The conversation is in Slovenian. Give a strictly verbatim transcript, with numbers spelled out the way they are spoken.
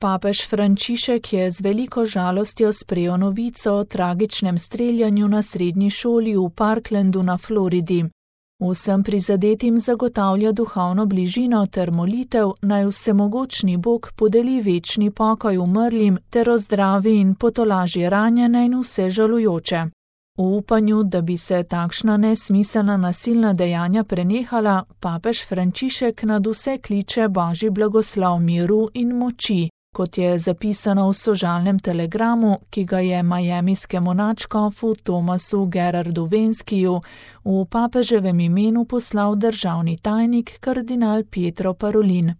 Papež Frančišek je z veliko žalostjo sprejel novico o tragičnem streljanju na srednji šoli v Parklandu na Floridi. Vsem prizadetim zagotavlja duhovno bližino ter molitev, naj vsemogočni Bog podeli večni pokoj umrlim ter ozdravi in potolaži ranjene in vse žalujoče. V upanju, da bi se takšna nesmiselna nasilna dejanja prenehala, papež Frančišek nadvse kliče Božji blagoslov miru in moči, kot je zapisano v sožalnem telegramu, ki ga je majamijskemu nadškofu Tomasu Gerardu Venskiju v papeževem imenu poslal državni tajnik kardinal Pietro Parolin.